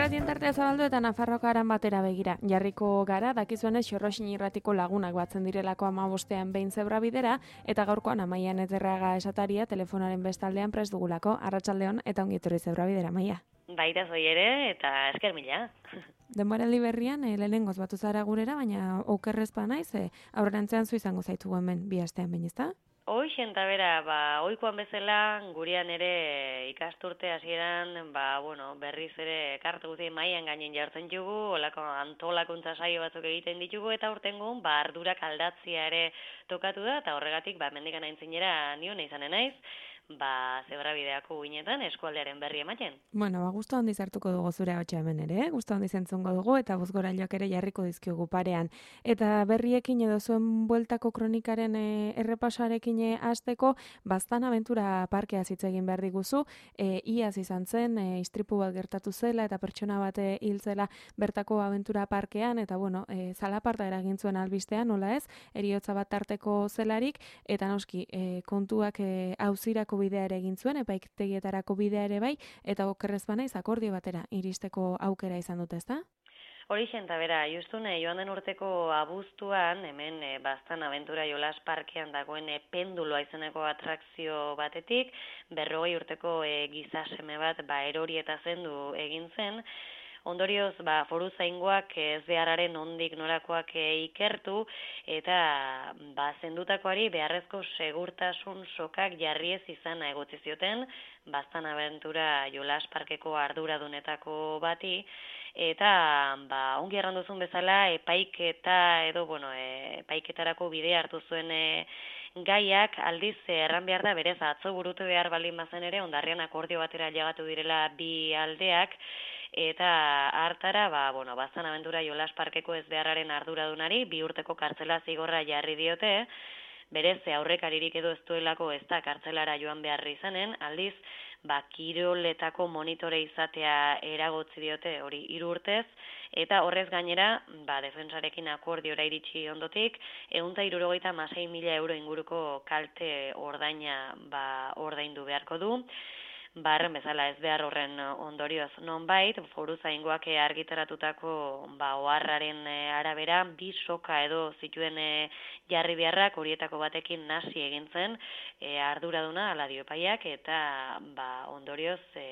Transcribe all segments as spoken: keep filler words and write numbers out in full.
Irratien tartea zabaldu eta Nafarroako aran batera begira. Jarriko gara, dakizuenez Xorroxin irratiko lagunak batzen direlako hamabostean behin zebra bidera, eta gaurkoan Amaian Ezerraga esataria telefonaren bestaldean prest dugulako. Arratsaldeon eta ongi etorri zebra bidera, Amaia. Baita zoi ere, eta esker mila. Denboraldi berrian, e, lehenengoz batu zara gurera, baina okerrezpa naiz, e, aurrerantzean zu izango zaitugu hemen bi astean behin, ezta? Hoixen eta bera, ba, oikoan bezala, gurean ere ikasturte hasieran, ba, bueno, berriz ere kartu guzti maian gainen jartzen dugu, olako antolakuntza saio batzuk egiten ditugu, eta urtengun, ba, ardurak aldatzia ere tokatu da, eta horregatik, ba, mendikan aintzinera nion izanen naiz, ba, zebrabideako guinetan eskualdearen berri ematen. Bueno, ba, gustu handiz hartuko dugu zure hotxa hemen ere, gustu handiz entzungo dugu, eta bozgorailoak ere jarriko dizkiogu parean. Eta berriekin edo zuen bueltako kronikaren e, errepasarekin e, hasteko, Baztan Abentura parkea hitz egin behar diguzu, e, iaz izan zen, e, istripu bat gertatu zela, eta pertsona bat e, hil zela bertako Abentura parkean, eta bueno, e, zalaparta eragin zuen albistean, nola ez, eriotza bat tarteko zelarik, eta noski, e, kontuak e, auzirako bidea ere egin zuen, epaitegietarako bidea ere bai, eta okerrez banaiz akordio batera iristeko aukera izan dute, ezta? Horixen eta bera, justune, joan den urteko abuztuan, hemen e, Baztan Abentura jolas parkean dagoen e, penduloa izeneko atrakzio batetik, berrogei urteko e, gizaseme bat ba, erori eta zendu egin zen. Ondorioz, ba, foru zaingoak ez beharraren ondik norakoak e, ikertu, eta ba, zendutakoari beharrezko segurtasun sokak jarri ez izana egotzi zioten, Baztan Abentura jolas parkeko arduradunetako bati, eta ba, ongi erranduzun bezala epaiketa edo bueno, e, epaiketarako bidea hartu zuen e, gaiak aldiz erran behar da berez atzo burutu behar baldin bazen ere ondarrian akordio batera llegatu direla bi aldeak, eta hartara, ba, bueno, Baztan Abentura jolas parkeko ez beharraren arduradunari bi urteko kartzela zigorra jarri diote, berez aurrekaririk edo ez duelako ez da kartzelara joan behar izanen, aldiz, ba, kiroletako monitore izatea eragotzi diote hori hiru urtez, eta horrez gainera, ba, defensarekin akordiora iritsi ondotik, ehun eta hirurogeita hamasei mila euro inguruko kalte ordaina ba, ordaindu beharko du. Barren bezala ez behar horren ondorioz nonbait, foru zaingoak argitaratutako ba, oharraren arabera, bi soka edo zituen e, jarri beharrak horietako batekin nasi egin zen e, arduraduna ala dio epaiak, eta ba, ondorioz e,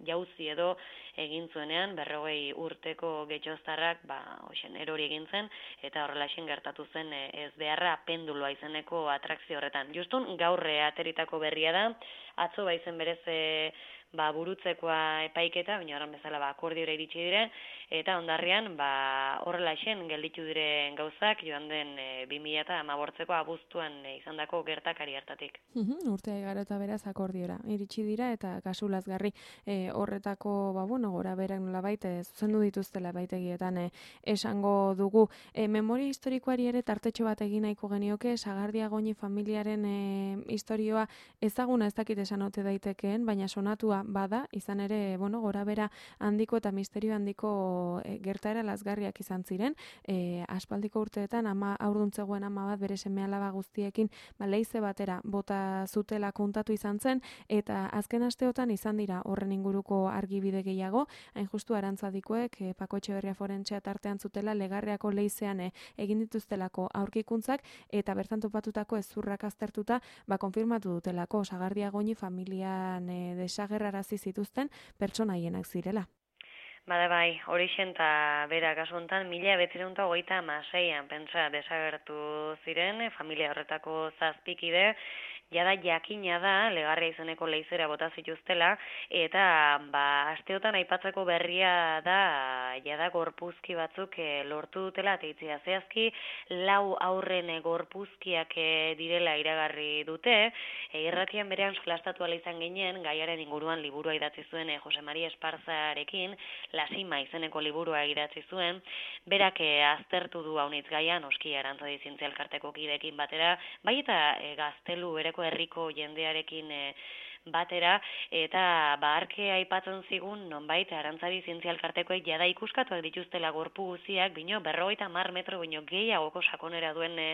jauzi edo egin zuenean berrogei urteko getxoztarrak ba, oixen, erori egin zen, eta horrela esen gertatu zen e, ez beharra penduloa izeneko atrakzio horretan. Justun gaur ateritako berria da, atzo baizen berez e, ba, burutzekoa epaiketa, baina horren bezala ba, akordiora iritsi dire, eta ondarrian ba, horrela esen gelditu diren gauzak joan den e, bi mila hamabortzeko abuztuan e, izandako gertakari hartatik. Uhum, urtea igaro eta beraz akordiora iritsi dira, eta kasu lazgarri e, horretako, ba, bueno, gora berak nolabait e, zuzendu dituztela baitegietan e, esango dugu. E, memoria historikoari ere tartetxo bat egin nahiko genioke, Sagardia Goñi familiaren e, historioa ezaguna ez dakit esan ote daitekeen, baina sonatua bada, izan ere, bueno, gora bera handiko eta misterio handiko e, gertaera lazgarriak izan ziren, e, aspaldiko urteetan ama aurduntzegoen ama bat bere seme alaba guztiekin ba, leize batera bota zutela kontatu izan zen, eta azken asteotan izan dira horren inguruko argibide gehiago, hain justu Arantzadikoek e, Pako Etxeberria forentzea tartean zutela legarreako leizean e, egin dituztelako aurkikuntzak, eta bertan topatutako ezurrak aztertuta, ba, konfirmatu dutelako Sagardia Goñi familian e, desagerrarazi zituzten pertsona haienak zirela. Bada bai, horixen eta bera kasu honetan, mila bederatziehun eta hogeita hamaseian pentsa desagertu ziren, familia horretako zazpikide, jada jakina da, legarria izeneko leizera bota zituztela, eta ba, asteotan aipatzeko berria da, jada gorpuzki batzuk e, lortu dutela, teitzia zehazki, lau aurren e, gorpuzkiak e, direla iragarri dute, e, irratian berean solastatu ala izan ginen, gaiaren inguruan liburua idatzi zuen e, Jose Maria Esparzarekin, Lasima izeneko liburua idatzi zuen, berak e, aztertu du haunitz gaia, noski Arantzadi Zientzia Elkarteko kideekin batera, bai eta e, Gaztelu bereko herriko jendearekin e, batera, eta baharke aipatzen zigun, nonbait, Arantzadi Zientzia Elkartekoek jada ikuskatuak dituztela gorpu guziak, bino, berrogeita hamar metro bino gehiagoko sakonera duen e,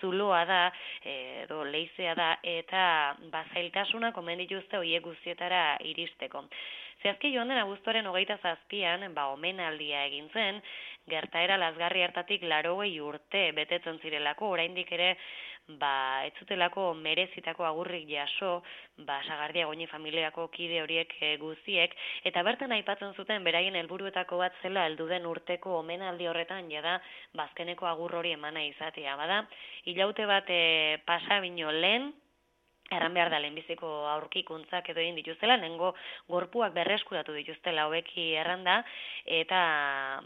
zuloa da, e, edo leizea da, eta bazailtasuna komen dituzte horiek guztietara iristeko. Zehazki joan den abuztuaren hogeita zazpian, ba, omenaldia egin zen, gertaera lazgarri hartatik laurogei urte betetzen zirelako, oraindik ere ba, ez zutelako merezitako agurrik jaso, ba, Sagardia Goñi familiako kide horiek e, guztiek, eta bertan aipatzen zuten beraien helburuetako bat zela heldu den urteko omenaldi horretan jada bazkeneko agur hori emana izatea. Bada, hilaute bat e, pasa bino lehen, erran behar da lehenbiziko aurkikuntzak edo egin dituztela, nengo gorpuak berreskuratu dituztela hobeki erranda, eta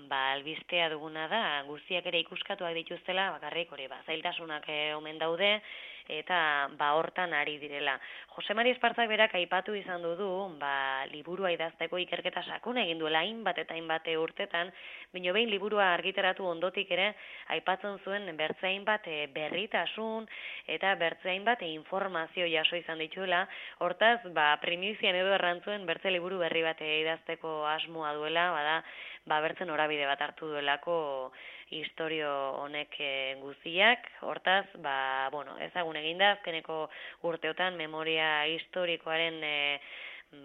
ba, albistea duguna da, guztiak ere ikuskatuak dituztela, bakarrik hori ba, zailtasunak e, omen daude, eta ba hortan ari direla. Jose Mari Espartzak berak aipatu izan du du, ba, liburua idazteko ikerketa sakuna egin duela hainbat eta hainbat urtetan, baina behin liburua argitaratu ondotik ere aipatzen zuen bertze hainbat e, berritasun eta bertze hainbat e, informazio jaso izan dituela. Hortaz, ba, primizian edo errantzuen bertze liburu berri bat e, idazteko asmoa duela, bada, ba, bertzen norabide bat hartu duelako historio honek e, guztiak. Hortaz, ba, bueno, ezagun eginda, azkeneko urteotan memoria historikoaren e,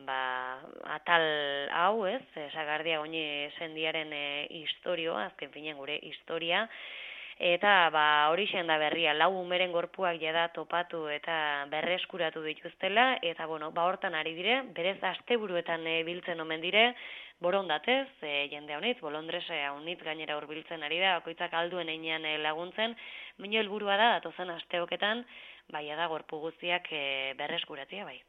ba, atal hau, ez, Sagardia Goñi sendiaren e, historioa, azken finean gure historia, eta ba, hori da berria, lau umeren gorpuak jada topatu eta berreskuratu dituztela, eta bueno, ba, hortan ari dire, berez asteburuetan e, biltzen omen dire, borondatez, e, jende honitz, bolondrese honitz gainera hurbiltzen ari da, bakoitzak alduen einean e, laguntzen, baina helburua da, datozen asteoketan, bai da gorpu guztiak e, berreskuratzea bai.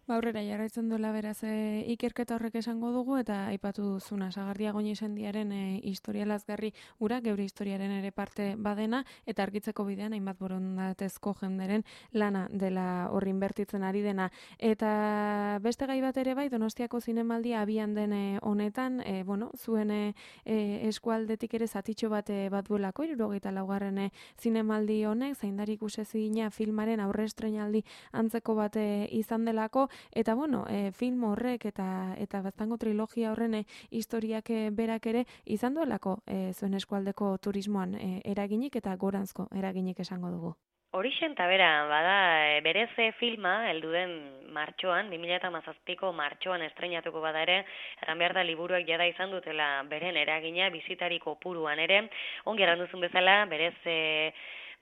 Ba, aurrera jarraitzen duela beraz e, ikerketa horrek esango dugu, eta aipatu duzuna Sagardia Goñi sendiaren e, historia lazgarri ura, geure historiaren ere parte badena, eta argitzeko bidean hainbat borondatezko jenderen lana dela horri inbertitzen ari dena. Eta beste gai bat ere bai, Donostiako zinemaldia abian den e, honetan, e, bueno, zuen e, e, eskualdetik ere zatitxo bat e, bat duelako, hirurogeita laugarren e, zinemaldi honek, zaindari ikusezina filmaren aurre estreinaldi antzeko bat e, izan delako, eta bueno, e, film horrek eta eta baztango trilogia horren e, historiak e, berak ere izan duelako e, zuen eskualdeko turismoan e, eraginik eta goranzko eraginik esango dugu. Horixen eta bera, bada, e, berez filma, heldu den martxoan, bi mila hamazazpiko martxoan estreinatuko bada ere, erran behar da liburuak jada izan dutela beren eragina, bizitari kopuruan ere, ongi erranduzun bezala, berez e,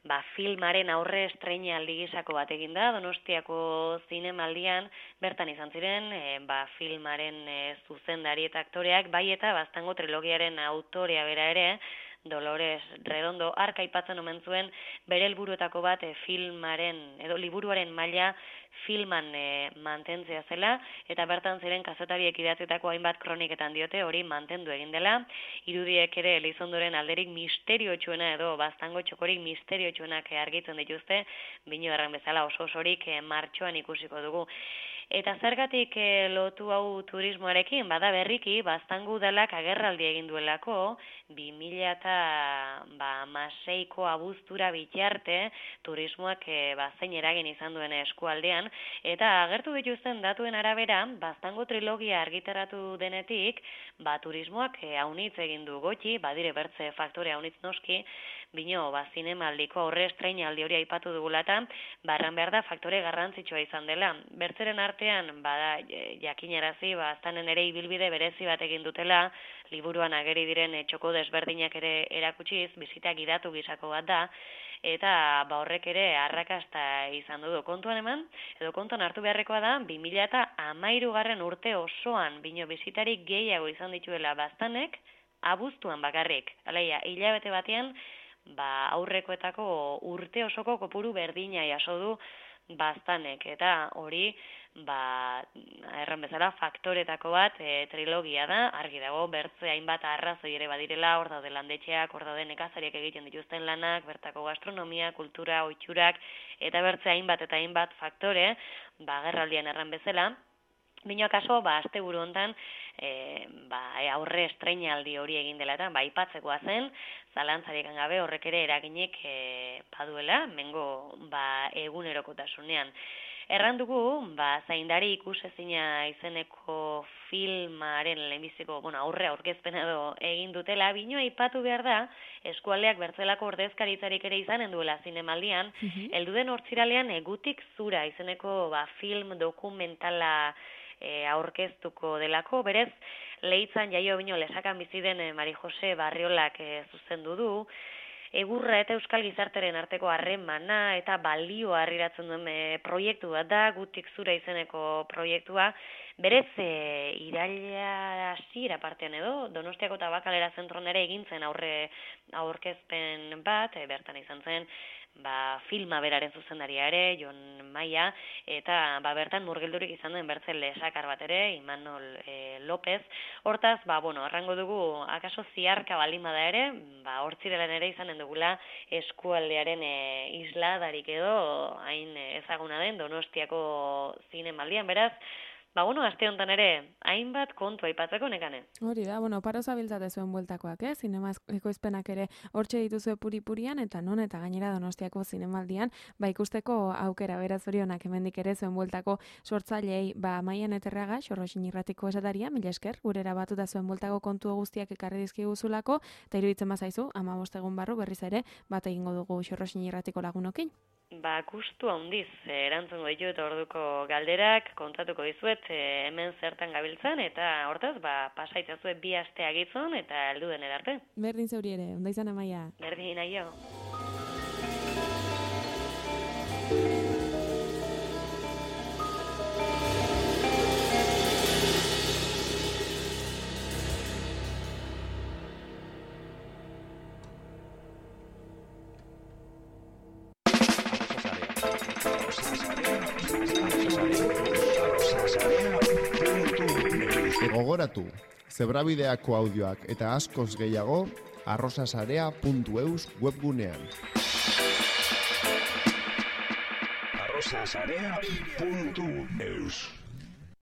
ba, filmaren aurre estreinaldi gisako bat egin da, Donostiako zinemaldian bertan izan ziren, e, ba, filmaren e, zuzendari eta aktoreak, bai eta baztango trilogiaren autorea bera ere, Dolores Redondo arka aipatzen omen zuen bere helburuetako bat e, filmaren edo liburuaren maila filman e, mantentzea zela, eta bertan ziren kazetariek idatzitako hainbat kroniketan diote hori mantendu egin dela. Irudiek ere Elizondoren alderik misteriotsuena edo baztango txokorik misteriotsuenak argitzen dituzte, bino erran bezala oso osorik e, martxoan ikusiko dugu. Eta zergatik e, lotu hau turismoarekin, bada berriki, baztango udalak agerraldi egin duelako, bi mila hamaseiko abuztura bitarte, turismoak e, bazein eragin izan duen eskualdean, eta agertu dituzten datuen arabera, baztango trilogia argitaratu denetik, ba, turismoak e, haunitz egin du gotxi, badire bertze faktore haunitz noski, bino, ba, zinemaldiko aurre estreinaldi hori aipatu dugulata, barran behar da faktore garrantzitsua izan dela. Bertzeren artean, bada, jakinarazi, ba, aztanen ere ibilbide berezi bat egin dutela, liburuan ageri diren txoko desberdinak ere erakutsiz, bizita gidatu gisako bat da, eta ba, horrek ere arrakasta izan du. Kontuan eman, edo kontuan hartu beharrekoa da, bi mila hamairugarren urte osoan, bino bizitarik gehiago izan dituela baztanek, abuztuan bakarrik. Aleia, hilabete batean, ba, aurrekoetako urte osoko kopuru berdina jaso du baztanek, eta hori, ba, erran bezala, faktoretako bat e, trilogia da, argi dago, bertze hainbat arrazoi ere badirela, hor daude landetxeak, hor daude nekazariak egiten dituzten lanak, bertako gastronomia, kultura, ohiturak, eta bertze hainbat eta hainbat faktore, ba, gerraldian erran bezala. Bino akaso, ba, azte buru hontan, e, ba, aurre estreinaldi hori egin dela eta, ba, ipatzekoa zen, zalantzarik gabe horrek ere eraginik e, baduela, mengo, ba, egunerokotasunean. Erran dugu, ba, zaindari ikusezina izeneko filmaren lehenbiziko, bueno, aurre aurkezpena edo egin dutela, bino aipatu behar da, eskualdeak bertzelako ordezkaritzarik ere izanen duela zinemaldian, mm-hmm. Helduden hortziralean egutik zura izeneko ba, film dokumentala e, aurkeztuko delako, berez, Leitzan jaio bino lesakan bizi den e, Mari Jose Barriolak e, zuzendu du, egurra eta euskal gizarteren arteko harremana eta balioa harriratzen duen e, proiektu bat da, Gutik Zura izeneko proiektua, berez e, iraila hasiera partean edo, Donostiako Tabakalera zentron ere egintzen aurre aurkezpen bat, e, bertan izan zen, ba, filma beraren zuzendaria ere, Jon Maia, eta ba, bertan murgildurik izan den bertzen lesakar bat ere, Imanol e, López. Hortaz, ba, bueno, arrango dugu, akaso ziarka baldin bada ere, ba, hortzirelan ere izanen dugula eskualdearen e, isladarik edo, hain ezaguna den Donostiako zinemaldian, beraz, ba, bueno, aste honetan ere, hainbat kontu aipatzeko nekane. Hori da, bueno, paro zabiltzate zuen bueltakoak, eh? Zinema ekoizpenak ere hortxe dituzue puri-purian, eta non, eta gainera Donostiako zinemaldian, ba, ikusteko aukera beraz horionak hemendik ere zuen bueltako sortzailei, ba, Maian Eterraga, Xorroxin Irratiko esataria, mila esker, gurera batuta zuen bueltako kontu guztiak ekarri dizkiguzulako, eta iruditzen bazaizu, hamabost egun barru berriz ere, bat egingo dugu Xorroxin Irratiko lagunokin. Ba, gustu handiz erantzungo ditu eta orduko galderak kontatuko dizuet e, hemen zertan gabiltzan eta hortaz, ba, pasaitzazue bi aste agitzon eta heldu den arte. Berdin zeuri ere, ondo izan Amaia. Berdin aio. Gogoratu, Zebrabideako audioak eta askoz gehiago arrosasarea puntu eus webgunean. arrosasarea puntu eus